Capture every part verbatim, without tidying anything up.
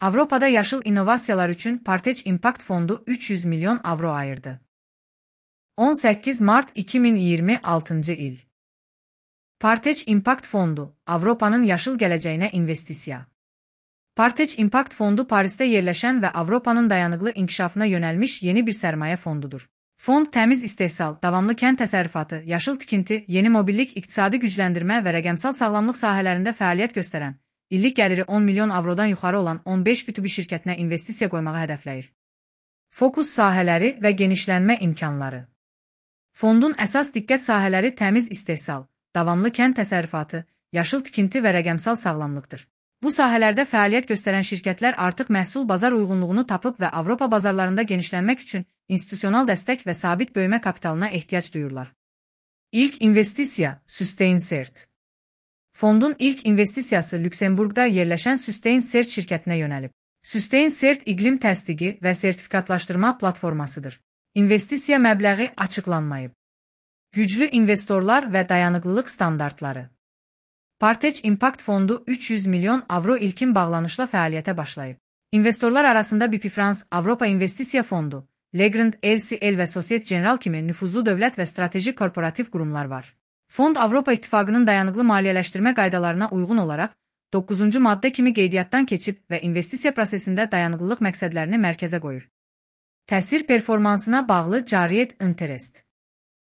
Avropada yaşıl innovasiyalar üçün Partech Impact Fondu üç yüz milyon avro ayırdı. on səkkiz mart iki min iyirmi altıncı il. Partech Impact Fondu, Avropanın yaşıl gələcəyinə investisiya. Partech Impact Fondu Parisdə yerləşən və Avropanın dayanıqlı inkişafına yönəlmiş yeni bir sərmayə fondudur. Fond təmiz istehsal, davamlı kənd təsərrüfatı, yaşıl tikinti, yeni mobillik, iqtisadi gücləndirmə və rəqəmsal sağlamlıq sahələrində fəaliyyət göstərən, illik gəliri on milyon avrodan yuxarı olan on beş B iki B şirkətinə investisiya qoymağı hədəfləyir. Fokus sahələri və genişlənmə imkanları. Fondun əsas diqqət sahələri təmiz istehsal, davamlı kənd təsərrüfatı, yaşıl tikinti və rəqəmsal sağlamlıqdır. Bu sahələrdə fəaliyyət göstərən şirkətlər artıq məhsul bazar uyğunluğunu tapıb və Avropa bazarlarında genişlənmək üçün institusional dəstək və sabit böyümə kapitalına ehtiyac duyurlar. İlk investisiya SustainCert. Fondun ilk investisiyası Lüksemburqda yerləşən SustainCert şirkətinə yönəlib. SustainCert iqlim təsdiqi və sertifikatlaşdırma platformasıdır. İnvestisiya məbləği açıqlanmayıb. Güclü investorlar və dayanıqlılıq standartları. Partech Impact Fondu üç yüz milyon avro ilkin bağlanışla fəaliyyətə başlayıb. İnvestorlar arasında B P France, Avropa İnvestisiya Fondu, Legrand, L C L və Societe Generale kimi nüfuzlu dövlət və strateji korporativ qurumlar var. Fond Avropa İttifaqının dayanıqlı maliyyələşdirmə qaydalarına uyğun olaraq doqquzuncu maddə kimi qeydiyyatdan keçib və investisiya prosesində dayanıqlılıq məqsədlərini mərkəzə qoyur. Təsir performansına bağlı cariyyət interest.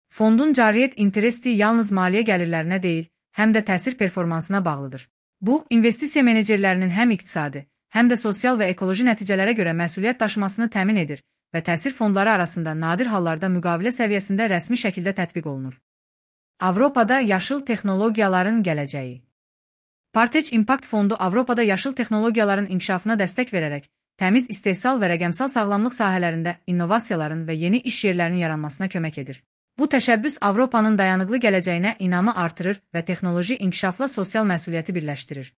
Fondun cariyyət interesti yalnız maliyyə gəlirlərinə deyil, həm də təsir performansına bağlıdır. Bu, investisiya menecerlərinin həm iqtisadi, həm də sosial və ekoloji nəticələrə görə məsuliyyət daşımasını təmin edir və təsir fondları arasında nadir hallarda müqavilə səviyyəsində rəsmi şəkildə tətbiq olunur. Avropada yaşıl texnologiyaların gələcəyi. Partech Impact Fondu Avropada yaşıl texnologiyaların inkişafına dəstək verərək, təmiz istehsal və rəqəmsal sağlamlıq sahələrində innovasiyaların və yeni iş yerlərinin yaranmasına kömək edir. Bu təşəbbüs Avropanın dayanıqlı gələcəyinə inamı artırır və texnoloji inkişafla sosial məsuliyyəti birləşdirir.